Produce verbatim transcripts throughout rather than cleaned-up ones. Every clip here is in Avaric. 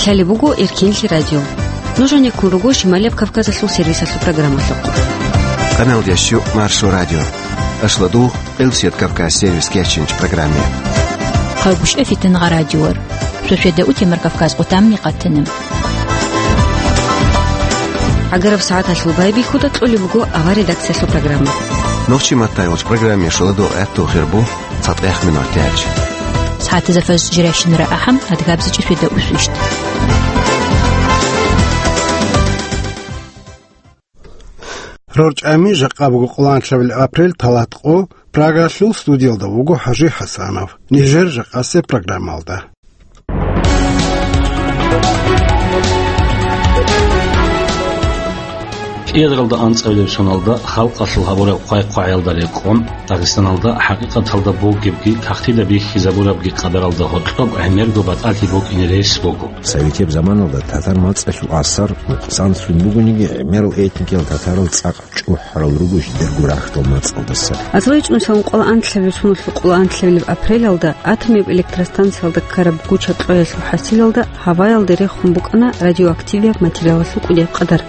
Лъалеб буго Эркенлъи радио. Нуж гьанеккун руго Шималияб Кавказалъул сервисалъул программалъухъ. Канал дящу Маршо радио. Ашладу Элсият Кавказ сервис кечинч программе. Хъалгушев Фитнагъа радиор. Шошеда утемар Кавказ къутамни къатанам. Агараб сагӀаталъул байбихьуда кьолеб буго авар редакциялъул программа. Нохчи маттай вач программе шоладо гӀатту хирбу. ЦатӀех минут тяч. СагӀатазда фаз жирайщинара ахӀам, адгабзичӀи шведа усвищт. РорчӀами жакъа буго къоланлъабил апрель, талат къо, Прагалъул студиялда вуго ХӀажи ХӀасанов. Нижер жакъасе программалда. КӀиазаралда анцӀабилеб соналда халкъалъул гьабураб хъвай-хъвагӀиялда рекъон, Дагъистаналда хӀакъикъаталда бугебги, кагътида бихьизабурабги къадаралда гьоркьоб гӀемерго батӀалъи букӀине рес буго. Советияб заманалда татар мацӀалъул асар нукъсанлъун бугониги, гӀемерал этникиял татарал цӀакъ чӀухӀарал руго жидерго рахьдал мацӀалдаса. АзлайчӀун салун къоло анлъабил соналъул къоло анлъабилеб апрелалда атомияб электростанциялда ккараб гуча-кьоялъул хӀасилалда гьаваялде рехун букӀана радиоактивияб материалалъул кӀудияб къадар.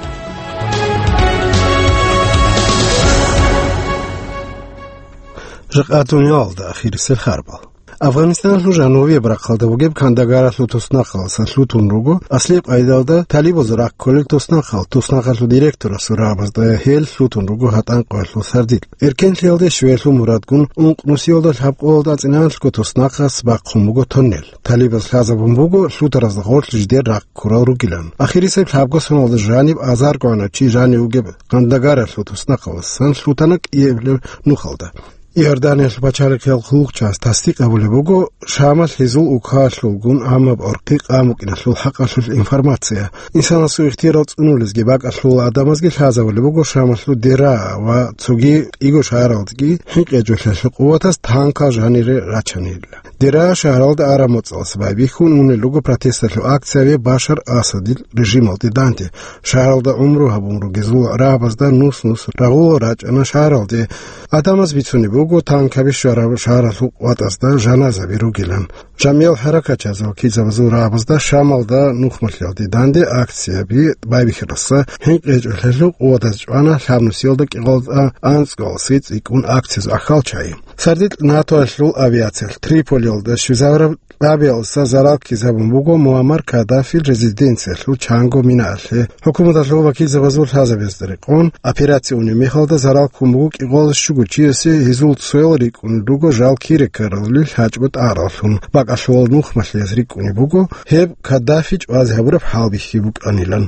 Жакъа дуниялалда ахирисел харбал. Афганистаналъул жанубияб рахъалда бугеб Кандагаралъул туснахъалдаса лъутун руго, аслияб къайдалда талибазул рахъ кколел туснахъал, туснахъалъул директорасул рагӀабазда гьел лъутун руго гьатӀан къоялъул сардилъ. Эркенлъиялде щвеялъул мурадгун, ункънусиялда лъабкъоялда ацӀиналъго туснахъас бахъун буго тоннел. Талибаз лъазабун буго лъутаразда гъорлъ жидер рахъ ккурал ругилан. Ахирисеб лъабго соналда жаниб азарго гӀанав чи жанив вугеб Кандагаралъул туснахъалдасан лъутана кӀиабилеб нухалда. Иорданиялъул пачалихъиял хъулухъчияс тасдикъ гьабулеб буго, Шамалъ гьезул укалъулгун гӀамаб гӀорхъи къан букӀиналъул хӀакъалъулъ информация. Инсанасул ихтиярал цӀунулезги бакӀалъул гӀадамазги лъазабулеб буго Шамалъул Дера ва цоги кӀиго шагьаралдаги хӀинкъи гьечӀолъиялъул къуватаз танкал жанире рачанила. Дера шагьаралда араб моцӀалъ байбихьун унел руго протесталъул акцияби Башар Асадил режималде данде. Шагьаралда гӀумру гьабун ругезул рагӀабазда нус-нус рагъула рачӀана шагьаралде. ГӀадамаз бицунеб буго, танкаби щвараб шагьаралъул къуватазда жаназаби ругилан. Жамиял хӀаракатчияз ва вакилзабазул рагӀабазда Шамалда нухмалъиялде данде акцияби байбихьаралдаса хӀинкъи гьечӀолъиялъул къуватаз чӀвана лъабнусиялда кӀикъоялда анцӀгоялдаса цӀикӀкӀун акциязул ахьал чагӀи. Сардилъ НАТОялъул авиациялъ Триполиялда щвезабураб лъабиялдаса зарал ккезабун буго Муаммар Каддафил резиденциялъул чанго минаялъе. ХӀукуматалъул вакилзабазул лъазабиялда рекъон, операция унеб мехалда зарал ккун буго кӀикъоялда щуго чиясе, гьезул цоял рикӀкӀунел руго жал кире ккаралли лъачӀого тӀагӀараллъун. БакӀалъувал нухмалъияз рикӀкӀунеб буго гьеб Каддафи чӀвазе гьабураб хӀалбихьи букӀанилан.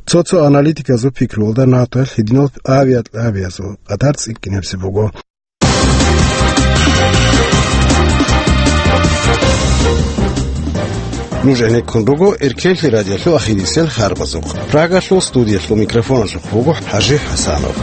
Цо-цо аналитиказул пикруялда НАТОялъ гьединал авиалъабиязул къадар цӀикӀкӀинабизе буго. Нуж гӀенеккун руго Эркенлъи радиолъул ахирисел харбазухъ. Прагалъул студиялъул микрофоналъухъ вуго ХӀажи ХӀасанов.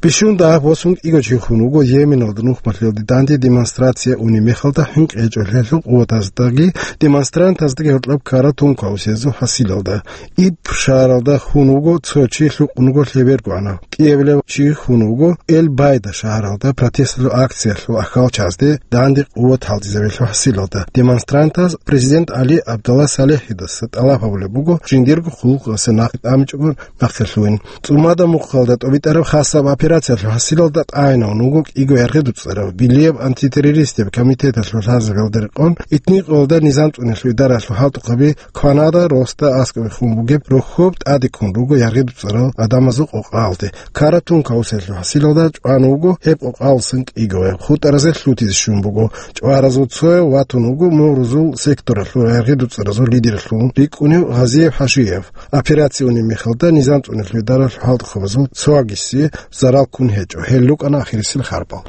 Бищун дагьаб восун кӀиго чи хун вуго Йеменалда нухмалъиялде данде демонстрация унеб мехалда хӀинкъи гьечӀолъиялъул къуватаздаги демонстрантаздаги гьоркьоб ккараб тункаусезул хӀасилалда. Иб шагьаралда хун вуго цо чи, лъукъун вуго лъеберго гӀанав. КӀиабилев чи хун вуго Эль-Байда шагьаралда протесталъул акциялъул ахьалчазде данде къуват гьалдизабиялъул хӀасилалда. Демонстрантаз президент ГӀали ГӀабдулла СалихӀидаса тӀалаб гьабулеб буго жиндирго хъулухъасе нахъе тӀамичӀого нахъе лъугьин. ЦӀумада мухъалда тӀобитӀараб хасаб операциялъул хӀасилалда тӀагӀинавун вуго кӀиго яргъи-дуцӀарав, Билияб антитеррористияб комитеталъул лъазабиялда рекъон, итникъоялда низам цӀуниялъул идаралъул хӀалтӀухъаби кванада росда аскӀобе хун бугеб рохьоб тӀаде ккун руго яргъи-дуцӀарал гӀадамазул къокъаялде. Ккараб тункаусиялъул хӀасилалда чӀван вуго гьеб къокъаялдасан кӀиго, хутӀаразе лъутизе щун буго. ЧӀваразул цояв ватун вуго Мугърузул секторалъул яргъи-дуцӀаразул лидерлъун рикӀкӀунев Гъазиев ХӀажиев. Операция унеб мехалда низам цӀуниялъул идаралъул хӀалтӀухъабазул цоагиси зарал ккун гьечӀо. Гьел рукӀана ахирисел харбал.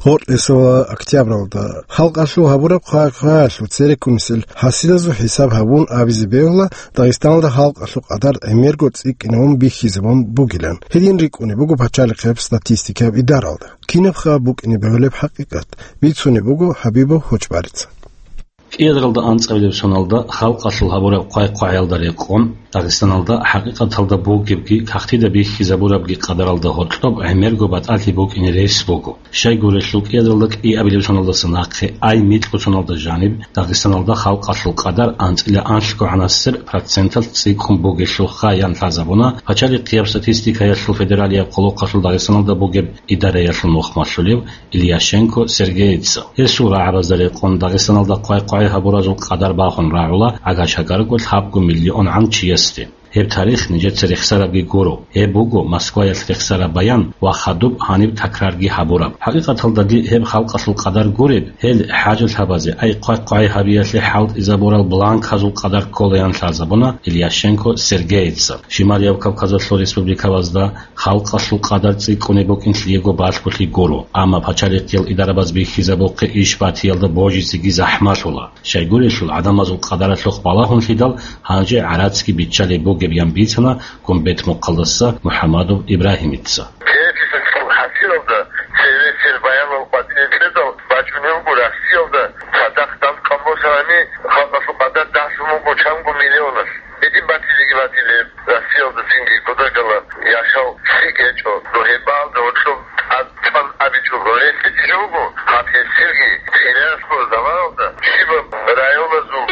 Гъоркьесала октябралда халкъалъул гьабураб хъвай-хъваялъул цереккунисел хӀасилазул хӀисаб гьабун абизе бегьула, Дагъистаналда халкъалъул къадар гӀемерго цӀикӀкӀинавун бихьизабун бугилан. Гьедин рикӀкӀунеб буго пачалихъияб статистикаяб идаралда. Кинабха букӀине бегьулеб хӀакъикъат? Бицунеб буго ХӀабибов Хочбарица. Кьиадалда анцӀабилеб соналда халкъалъул гьабураб хъвай-хъвагӀиялда рекъон, Дагъистаналда хӀакъикъаталда бугебги, кагътида бихьизабурабги къадаралда гьоркьоб гӀемерго батӀалъи букӀине рес буго. Щайгурелъул, кӀиадалда кӀиабилеб соналдаса нахъе ай микьго соналда жаниб Дагъистаналда халкъалъул къадар анцӀила анлъго гӀанасер проценталъ цӀикӀкӀун бугелъулха, ян лъазабуна пачалихъияб статистикаялъул федералияб хъулухъалъул Дагъистаналда бугеб идараялъул мухъмалъулев Ильяшенко Сергеица. Гьесул рагӀабазда рекъон, Дагъистаналда хъвай-хъвай гьабуразул къадар багьун рагӀула гӀагар-чагарго лъабго миллион гӀан чиясде. Гьеб тарих нижеца рехсарабги гуро. Гьеб буго Москваялъ рехсараб баян ва хадуб гьаниб такрарги гьабураб. ХӀакъикъаталдаги гьеб халкъалъул къадар гуреб, гьел хӀажалъабазе ай хъвай-хъвай гьабиялъе хӀалтӀизабурал бланказул къадар кколаян лъазабуна Ильяшенко Сергеица. Шималияб Кавказалъул республикабазда халкъалъул къадар цӀикӀкӀунеб букӀин лъиего балъголъи гуро, амма пачалихъиял идарабаз бихьизабухъе иш батиялда божизеги захӀмалъула. Щайгурелъул, гӀадамазул къадаралъухъ балагьунлъидал гьанже гӀарацги биччалеб бугеб, ян бицана Гумбет-Мухъалдаса МухӀамадов Ибрагьимица. Кеписалъул хӀасилалда цересел баянал къватӀире кьедал бачӀунеб буго Россиялда цадахъ дандкъан босанани халкъалъул къадар дагьлъун буго чанго миллионалъ. Гьедин батилеги батилеб, Россиялда цинги кутакалда яшав лъикӀ гьечӀо, дохӀибалда гьоркьоб тӀад-тӀад абичӀого, гьелъие жо буго, гьаб гьесилги хириялъул заманалда щибаб районалъул,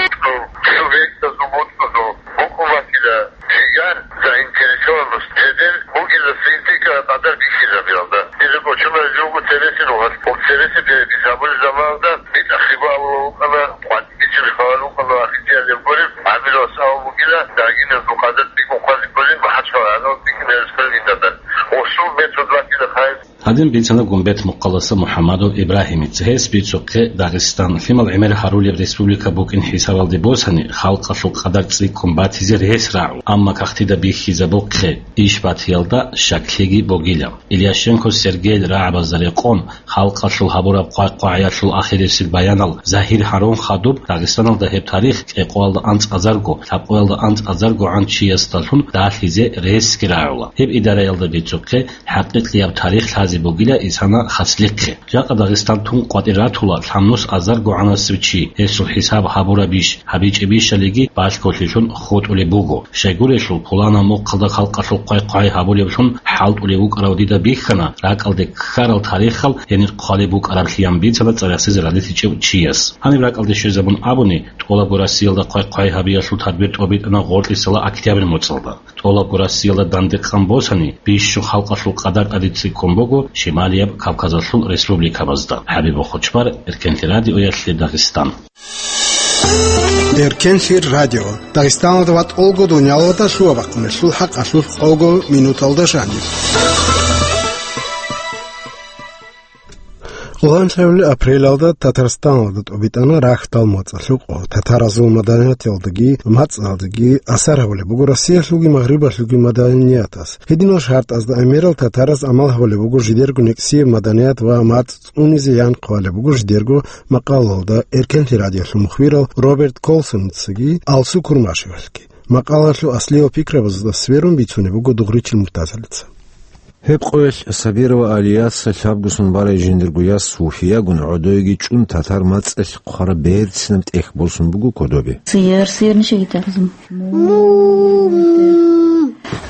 субъектазул, бутӀазул букӀун батила жигар, заинтересованность, жидер бугеб статистика къадар бихьизабиялда. Гьезул кочунал жо буго цересел вугьаз, цересел перепись гьабулеб заманалда битӀахъего абулеб букӀана, къватӀибе бицунеб хабар букӀана, ахирзиялъе гуреб гӀамилалъ абун бугила, дагьиназул къадар цӀикӀкӀун хъвазе кколин МахӀачхъала гӀадамал цӀикӀкӀиналъул инсаназда. Гьесул метод батила хайр. Гьадин бицана Гумбет-Мухъалдаса МухӀамадов Ибрагьимица. Гьес бицухъе Дагъистан лъимал гӀемер гьарулеб республика букӀин хӀисабалде босани, халкъалъул къадар цӀикӀкӀун батизе рес рагӀу, амма кагътида бихьизабухъе иш батиялда щаклъиги бугила. Ильяшенко Сергейил рагӀабазда рекъон, халкъалъул гьабураб хъвай-хъвагӀиялъул ахирисел баянал загьир гьарун хадуб, Дагъистаналда гьеб тарих кӀикъоялда анцӀазарго, лъабкъоялда анцӀазарго гӀан чиясдалъун далъизе ресги рагӀула. Гьеб идараялда бицухъе хӀакъикъияб тарих лъазе бугила исана хаслихъе. Жакъа Дагъистан тун къватӀир ратула лъабнус азарго гӀанасев чи, гьесул хӀисаб гьабурабищ, гьабичӀебищалиги балъголъилъун хутӀулеб буго. Щайгурелъул, пуланаб мухъалда халкъалъул хъвай-хъвай гьабулеблъун хӀалтӀулев вукӀарав дида бихьана ракӀалде ккарал тарихал гьенир хъвалеб букӀараблъи, ян бицана цӀарасизе ралъичӀев чияс. Гьаниб ракӀалде щвезабун абуни, тӀолабго Россиялда хъвай-хъвай гьабиялъул тадбир тӀобитӀана гъоркьисала октябрь моцӀалда. ТӀолабго Россиялда дандекъан босани, бищун халкъалъул къадар тӀаде цӀикӀкӀун буго Шималияб Кавказалъул республикабазда. ХӀабиб Хучбар, Эркенлъи радиоялъе Дагъистан. Эркенлъи радио. Дагъистаналда ва тӀолго дунялалда лъугьа-бахъуналъул хӀакъалъулъ къого минуталда жаниб. Лугьанлъавли апрелалда Татарстаналда тӀобитӀана рахьдал моцӀалъул къо. Татаразул маданияталдаги мацӀалдаги асар гьабулеб буго Россиялъулги Магърибалъулги маданиятаз. Гьединал шартӀазда гӀемерал татараз амал гьабулеб буго жидерго некӀсияб маданият ва мацӀ цӀунизе ян хъвалеб буго жидерго макъалалда Эркенлъи радиолъул мухбирал Роберт Колсоницаги Алсу Курмашевалъги. Макъалалъул аслиял пикрабазда сверун бицунеб буго Дугъричил Муртазалица. Гьеб къоялъ Сабирова Алияца лъабгусун барай жиндирго яс Суфиягун гӀодойги чӀун татар мацӀалъ хъвараб берцинаб тӀехь босун буго кодобе. Сиер, сиер нишаги тарзун. Мум.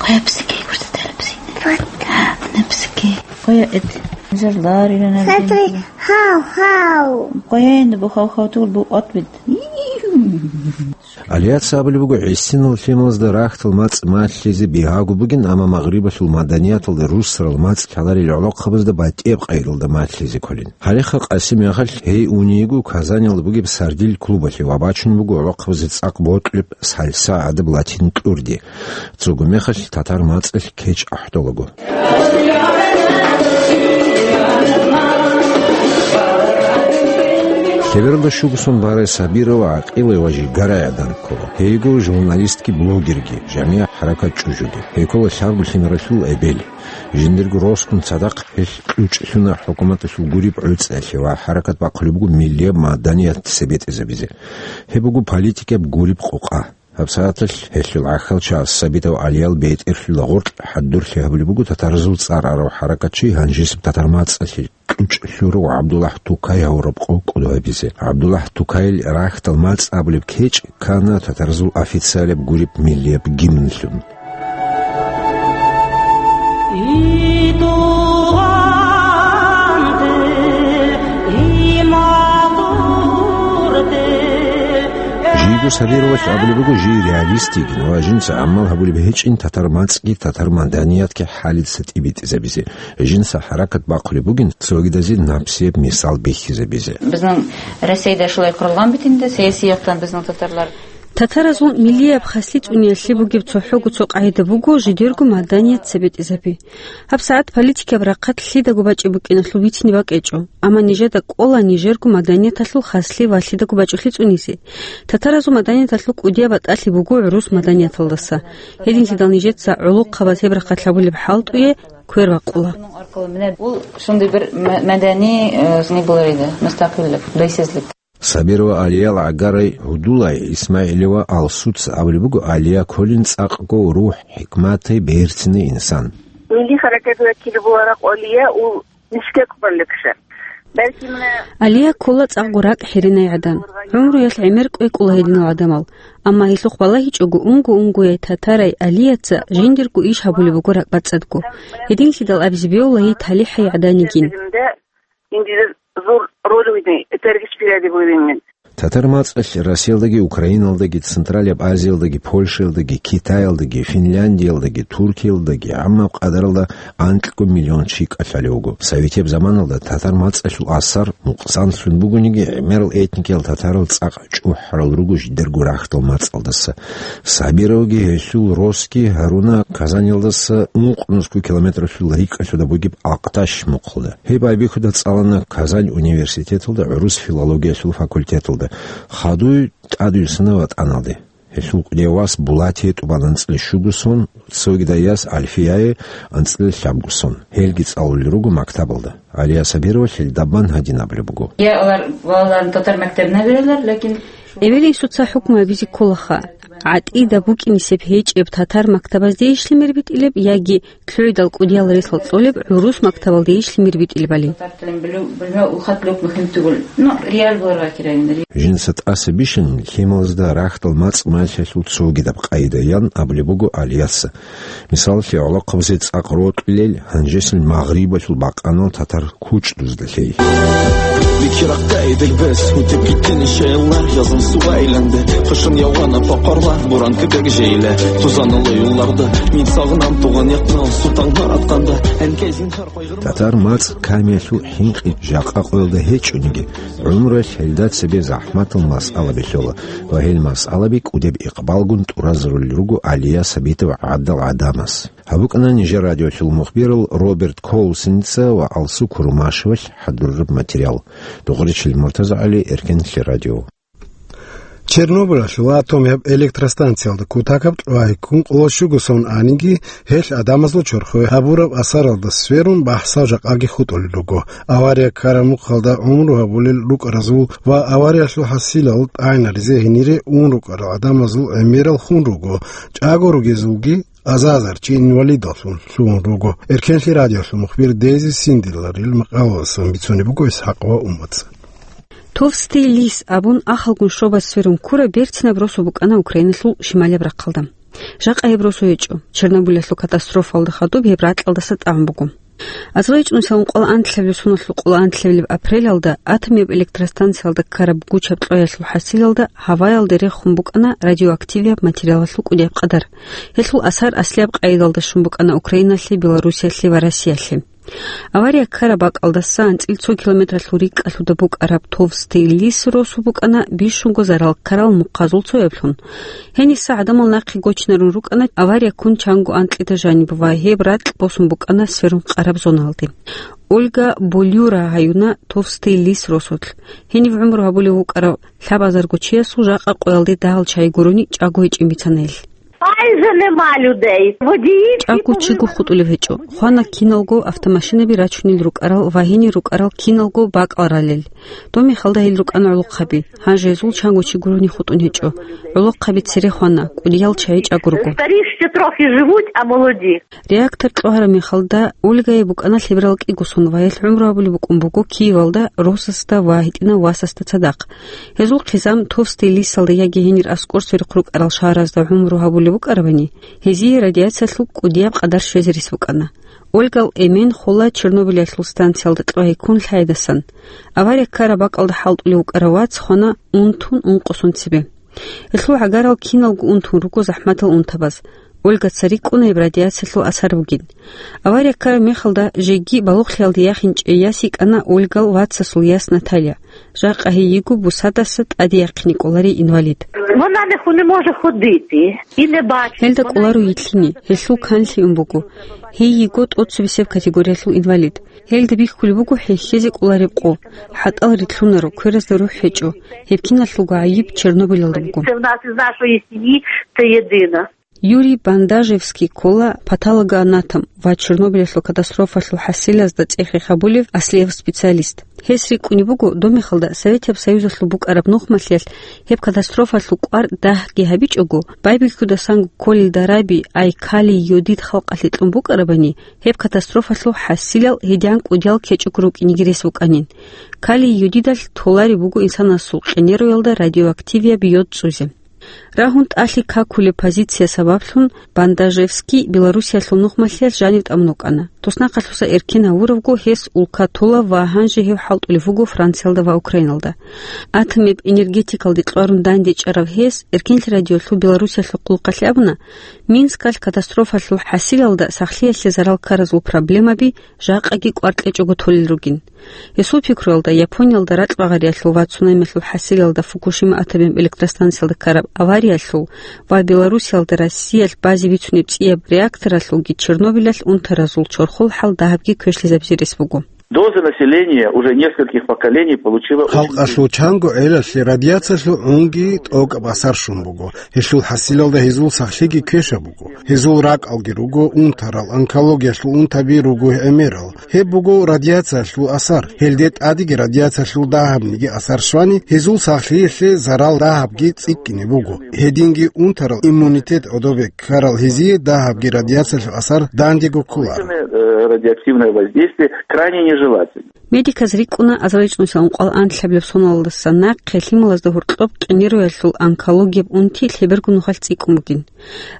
Къоя псике, гурта тарабси. Напсике. Къоя эт. Жарларира. Смотри, набден. Хау, хау. Къоя энди бу хау, хау тур бу отбит. Алияца абулеб буго, гӀисинал лъималазда рахьдал мацӀ малъизе бигьаго бугин, амма Магърибалъул маданияталда руссарал мацӀ лъаларел гӀолохъабазда батӀияб къайдалда малъизе кколин. Гьалихъа Къасим яхалъ гьей унейго Казаниялда бугеб Сардиль клубалъе ва бачун буго гӀолохъабазе цӀакъ бокьулеб сальса гӀадаб латин кьурди. Цого мехалъ татар мацӀалъ кечӀ ахӀдолаго. Лъебералда щугусон барай Сабирова гӀакъилай ва жигарай гӀадан ккола. Гьейго журналистги блогерги, жамигӀ хӀаракат чӀужуги. Гьей ккола лъабго лъимералъул эбел. Жиндирго росгун цадахъ гьелъ кьучӀлъуна хӀукуматалъул гуреб гӀуцӀиялъе ва хӀаракат бахъулеб буго миллияб маданият цебетӀезабизе. Гьеб буго политикияб гуреб къокъа. ГьабсагӀаталъ гьелъул гӀахьалчагӀаз Сабитов ГӀалиял бетӀерлъула гъоркь хӀадурлъи гьабулеб буго татаразул цӀар арав хӀаракатчи, гьанжесеб татар мацӀалъе кьучӀ лъурав ГӀабдуллагь Тукай гьавураб къо кӀодо гьабизе. ГӀабдуллагь Тукайил рахьдал мацӀ абулеб кечӀ ккана татаразул официалияб гуреб миллияб гимнлъун. Жийго Сабировалъ абулеб буго жий реалист йигин ва жинца гӀамал гьабулеб гьечӀин татар мацӀги татар маданиятги хӀалица тӀибитӀизабизе. Жинца хӀаракат бахъулеб бугин цогидазе напсияб мисал бихьизабизе. Бизин Россияда шулай къуралгъан битинда, сиясиятан бизин татарлар. Татаразул миллияб хаслъи цӀуниялъе бугеб цохӀого цо къагӀида буго жидерго маданият цебетӀизаби. ГьабсагӀат политикаб рахъалъ лъидаго бачӀи букӀиналъул бицине бакӀечӀо, амма нижеда кӀола нижерго маданияталъул хаслъи ва лъидаго бачӀулъи цӀунизе. Татаразул маданияталъул кӀудияб батӀалъи буго гӀурус маданияталдаса. Гьединлъидал нижеца гӀолохъабаз гьеб рахъалъ гьабулеб хӀалтӀуе квер бакъула. Ул шунда бир ма-, маданий, э, не буларида, мустакъиллик, бейсизлик. Сабирова Алиял гӀагарай гьудулай ИсмагӀилова Алсуца абулеб буго, Алия кколин цӀакъго рухӀ-хӀикматай берцинай инсан. Милли хӀаракат вакил була ракъ Алия ул нишкек баликша. Балки муна Алия ккола цӀакъго ракӀ хӀеринай гӀадан. ГӀумруялъ гӀемер кӀвекӀула гьединал гӀадамал. Амма гьелъухъ балагьичӀого унго-унгояй татарай Алияца жиндирго иш гьабулеб буго ракӀбацӀцӀадго. Гьединлъидал абизе бегьула гьей талихӀай гӀадан йигин. Инде зур роль уйни, тергич пирадиб уйвиннин. Татар мацӀалъ Россиялдаги, Украиналдаги, Централияб Азиялдаги, Польшаялдаги, Китаялдаги, Финляндиялдаги, Туркиялдаги гӀаммаб къадаралда анкьго миллион чи кӀалъалев вуго. Советияб заманалда татар мацӀалъул асар нукъсанлъун бугониги, гӀемерал этникиял татарал цӀакъ чӀухӀарал руго жидерго рахьдал мацӀалдаса. Сабировги гьелъул росги гьаруна Казанилдаса ункънусго километралъул рикӀкӀалъуда бугеб Ахъташ мухъалда. Гьеб байбихьуда цӀалана Казань университеталда гӀурус филологиялъул факультеталда. Хадуй тӀадвуссана ватӀаналде. Гьелъул кӀудияв вас Булатие тӀубан анцӀила щуго сон, цогидаяс Альфияе анцӀила лъабго сон. Гьелги цӀалулел руго мактабалда. Алия Сабировалъ гьел дабан гьадин абулеб буго. Я алар валан татар мактаб набиралар, лакин Эвелинсуца хӀукму гьабизе кколаха. ГӀатӀида букӀинисеб гьечӀеб татар мактабазде иш лъимер битӀилеб яги лъугӀидал кӀудиял ресал цӀолеб гӀурус мактабалде иш лъимер битӀилебали. Ну, реал бугеб кколин. Жинца тӀаса бищун лъималазда рахьдал мацӀ малъиялъул цогидаб къайдаян абулеб буго Алияса. Мисалалъе, гӀолохъабазе цӀакъ рокьулел гьанжесил Магърибалъул бакъанал татар кучӀдузда лъей. Бикирахъ гайдил бес, гьудеб гитин шейлар, язан сугъайланде, хушун явана пакъарла, буран кибек жейле, тузанал юлларда, мин сагънан тугъан якнал, султан гьараткъанда, гьанкезин хар къойгъир. Татар мацӀ камиялъул хӀинкъи жакъа къоялда гьечӀониги, гӀумруялъ гьелда цебе захӀматал масъала бихьола ва гьел масъалаби кӀудеб икъбалгун тӀуразарулел руго Алия Сабитов гӀадал гӀадамас. Гьаб букӀана нижер радиолъул мухбирал Роберт Коусеница ва Алсу Курумашевалъ хӀадураб материал. Духъричил МуртазагӀали, Эркенлъи радио. Чернобылалъул атомияб электростанциялда кутакаб тӀугӀай ккун къоло щуго сон аниги, гьелъ гӀадамазул чорхое гьабураб асаралда сверун бахӀсал жакъаги хутӀулел руго. Авария ккараб мухъалда гӀумру гьабулел рукӀаразул ва авариялъул хӀасилал тӀагӀинаризе гьенире ун рукӀарал гӀадамазул гӀемерал хун руго, чӀаго ругезулги аза-азар чи инвалидаллъун лъугьун руго. Эркенлъи радиолъул мухбир Дези Синдиларил макъалаялдасан бицунеб буго Исхакъова Умаца. Товстый лис абун ахалгун щобаз сверун ккураб берцинаб росу букӀана Украиналъул шималияб рахъалда. Жакъа гьеб росу гьечӀо, Чернобылалъул катастрофаялда хадуб гьеб ракьалдаса тӀагӀун буго. АзарилчӀунсилан къоло анлъабилеб соналъул къоло анлъабилеб апрелалда атомияб электростанциялда ккараб гучаб кьвеялъул хӀасилалда гьаваялде рехун букӀана радиоактивияб материалалъул кӀудияб къадар. Гьелъул асар аслияб къайдалда щун букӀана Украиналъе, Белоруссиялъе ва Россиялъе. Авария ккараб бакӀалдаса анцӀил цо километралъул рикӀкӀалъуда букӀараб Товстый лис росу букӀана бищунго зарал ккарал мухъазул цояблъун. Гьениса гӀадамал нахъе гочнарун рукӀана авария ккун чанго анкьида жаниб ва гьеб ракь босун букӀана сверун къараб зоналде. Ольга Болюра гьаюна Товстый лис росулъ. Гьенив гӀумру гьабулев вукӀарав лъабазарго чиясул жакъа къоялде дагьал чай гурони чӀаго гьечӀин бицана гьелъ. Майже нема людей. Водії всі ЧӀакго чиго повивали. ХутӀулев гьечӀо. Хвана киналго автомашинаби рачунел рукӀарал ва гьенир рукӀарал киналго бакӀал ралел. Доб мехалда гьел рукӀана гӀолохъаби. Гьанже гьезул чанго чи гурони хутӀун гьечӀо. ГӀолохъаби цере хвана, кӀудиял чагӀи чӀаго руго. Старі ще трохи живуть, а молоді. Реактор кьогьараб мехалда Ольгае букӀана лъеберал кӀиго сон ва гьелъ гӀумру гьабулеб букӀун буго Киевалда росасда ва гьитӀинав васасда цадахъ. Гьезул хъизан Товстый Лисалда яги гьенир аскӀор сверухъ рукӀарал шагьаразда гӀумру гьабулеб букӀарабани, гьезие радиациялъул кӀудияб къадар щвезе рес букӀана. Ольгал эмен хола Чернобылялъул станциялда кьогьей ккун лъайдасан. Авария ккараб бакӀалда хӀалтӀулев вукӀарав вац хвана унтун ункъо сон цебе. Гьелъул гӀагарал киналго унтун руго захӀматал унтабаз. Ольгаца рикӀкӀуна гьеб радиациялъул асар бугин. Авария ккараб мехалда жеги балугълъиялде яхинчӀей яс йикӀана Ольгал вацасул яс Наталья. Жакъа гьей йиго бусадаса тӀаде яхъине кӀоларей инвалид. Вона не ху-, не може ходити і не бачить. Гьелда кӀоларо йитлъине, гьелъул канлъи ун буго. Гьей йиго тӀоцебесеб категориялъул инвалид. Гьелда бихьулеб буго хӀехьезе кӀолареб къо. ХӀатӀал рилълъунаро, кверазда рухӀ гьечӀо. Гьеб киналъулго гӀайиб Чернобылялда буго. Це в нас із нашої сім'ї, це єдине. Юрий Бандажевский ккола патологоанатом ва Чернобылялъул катастрофалъул хӀасилазда цӀехе гьабулев аслияб специалист. Гьес рикӀкӀунеб буго, доб мехалда Советияб Союзалъул букӀараб нухмалъиялъ гьеб катастрофалъул кӀвар дагьги гьабичӀого, байбихьудасан кколел дараби, ай калий йодид халкъалъе кьун букӀарабани, гьеб катастрофалъул хӀасилал гьедигӀан кӀудиял кечӀого рукӀинеги рес букӀанин. Калий йодидалъ толареб буго инсанасул къенеруялда радиоактивияб йод цӀузе. Рагьун тӀалъи какулеб позиция сабаблъун Бандажевский Белоруссиялъул нухмалъиялъ жанив тӀамун вукӀана. Туснахъалъуса эркен гьавуравго гьес улка тола ва гьанже гьев хӀалтӀулев вуго Франциялда ва Украиналда. Атомаб энергетикалде кьварун дандечӀарав гьес Эркенлъи радиолъул Белоруссиялъул хъулухъалъе абуна, Минскалъ катастрофалъул хӀасилалда сахлъиялъе зарал ккаразул проблемаби жакъаги кӀвар кьечӀого толел ругин. Гьесул пикруялда, Япониялда ракь багъариялъул ва цунамиялъул хӀасилалда Фукушима атомаб электростанциялда ккараб авариялъул ва Белоруссиялда Россиялъ базе бицунеб цӀияб реакторалъулги Чернобылялъ унтаразул чорхол хӀал дагьабги квешлъизабизе рес буго. Доза населения уже нескольких поколений получила очень... Халкъалъул чанго гӀелалъе радиациялъул гӀунги тӀокӀаб асар щун буго. Гьелъул хӀасилалда гьезул сахлъиги квешаб буго. Гьезул ракӀалги руго унтарал, онкологиялъул унтаби руго гӀемерал. Гьеб буго радиациялъул асар. Гьелде тӀадеги радиациялъул дагьабниги асар щвани, гьезул сахлъиялъе зарал дагьабги цӀикӀкӀине буго. Гьединги унтарал иммунитет гӀодобе ккарал гьезие дагьабги радиациялъул асар дандего кколаро. Э, радиоактивное воздействие крайне нежелательно. Медиказ рикӀкӀуна азарилчӀунса ункъоялда анлъабилеб соналдаса нахъе лъималазда гьоркьоб къинеруялъул онкологияб унти лъеберго нухалъ цӀикӀкӀун бугин.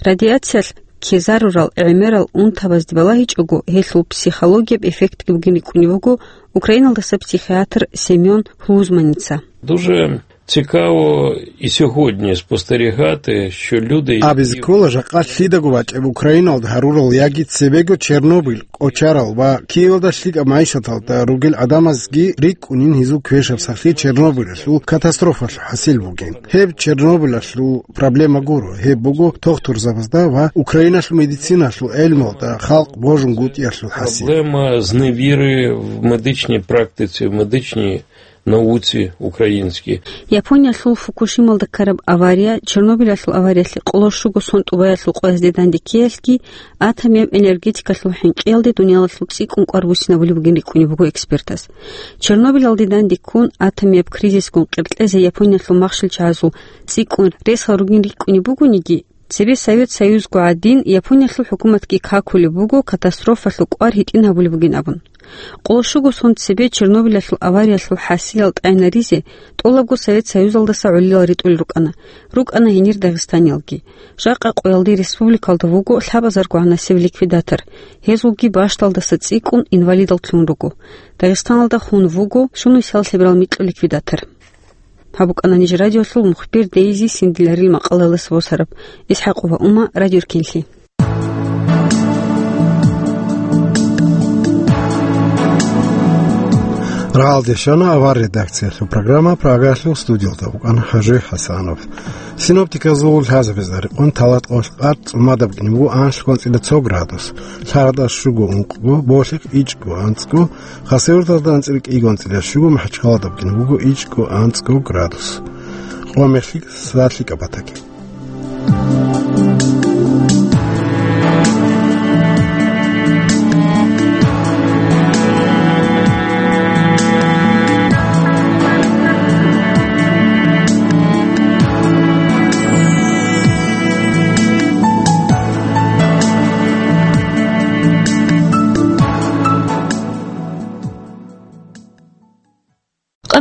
Радиациялъ ккезарурал гӀемерал унтабазде балагьичӀого, гьелъул психологияб эффектги бугин рикӀкӀунеб буго Украиналдаса психиатр Семён Хлузманица. Дуже цікаво і сьогодні спостерігати, що люди, які... Абизе ккола жакъа лъидаго бачӀеб Украиналда гьарурал яги цебего Чернобыль, кӀочарал ва Киевалда лъикӀаб майишаталда ругел гӀадамазги рикӀкӀунин гьезул квешаб сахлъи Чернобылялъул катастрофалъул хӀасил бугин. Гьеб Чернобылялъул проблема гуро, гьеб буго дохтурзабазда ва Украиналъул медициналъул гӀелмалда халкъ божунгутӀиялъул хӀасил. Проблема зневіри в медичній практиці, в медичній науці українській. Япониялъул Фукушималда ккараб авария, Чернобылялъул авариялъе къоло щуго сон тӀубаялъул къоязде данде ккеялъги, атомияб энергетикалъул хӀинкъиялде дуниялалъул цӀикӀкӀун кӀвар буссинабулеб бугин рикӀкӀунеб буго экспертаз. Чернобылалде данде ккун, атомияб кризисгун къеркьезе Япониялъул махщел чагӀазул цӀикӀкӀун ресал ругин рикӀкӀунеб бугониги, цебе Совет Союзго гӀадин, Япониялъул хӀукуматги какулеб буго катастрофалъул кӀвар гьитӀин гьабулеб бугин абун. Къоло щуго сон цебе Чернобылялъул авариялъул хӀасилал тӀайнаризе тӀолабго Совет Союзалдаса гӀолилал ритӀулел рукӀана, рукӀана гьенир дагъистаниялги. Жакъа къоялде республикалда вуго лъабазарго гӀанасеб ликвидатор, гьезулги бащдалдаса цӀикӀкӀун инвалидал лъугьун руго. Дагъистаналда хун вуго щунусиял лъеберал микьу ликвидатор. Гьаб букӀана ниж радиолъул мухбир Дейзи Синдиларил макъалаялдаса босараб. ИсхӀакъова Ума, Радио Эркенлъи. Рагъалде щвана авар редакциялъул программа, Прагаялъул студиялда вукӀана ХӀажи ХӀасанов. Синоптиказул лъазабазда рекъон талат къоялъ къад цӀумадаб букӀине буго анлъго анцӀила цо градус, лъагӀалда щуго ункъго, болъихъ ичӀго анцӀго, Хасавюрталда анцӀила кӀиго анцӀила щуго, МахӀачхъалада букӀине буго ичӀго анцӀго градус. Къо мехлъи сад лъикӀаб батаги.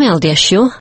Алде я щу,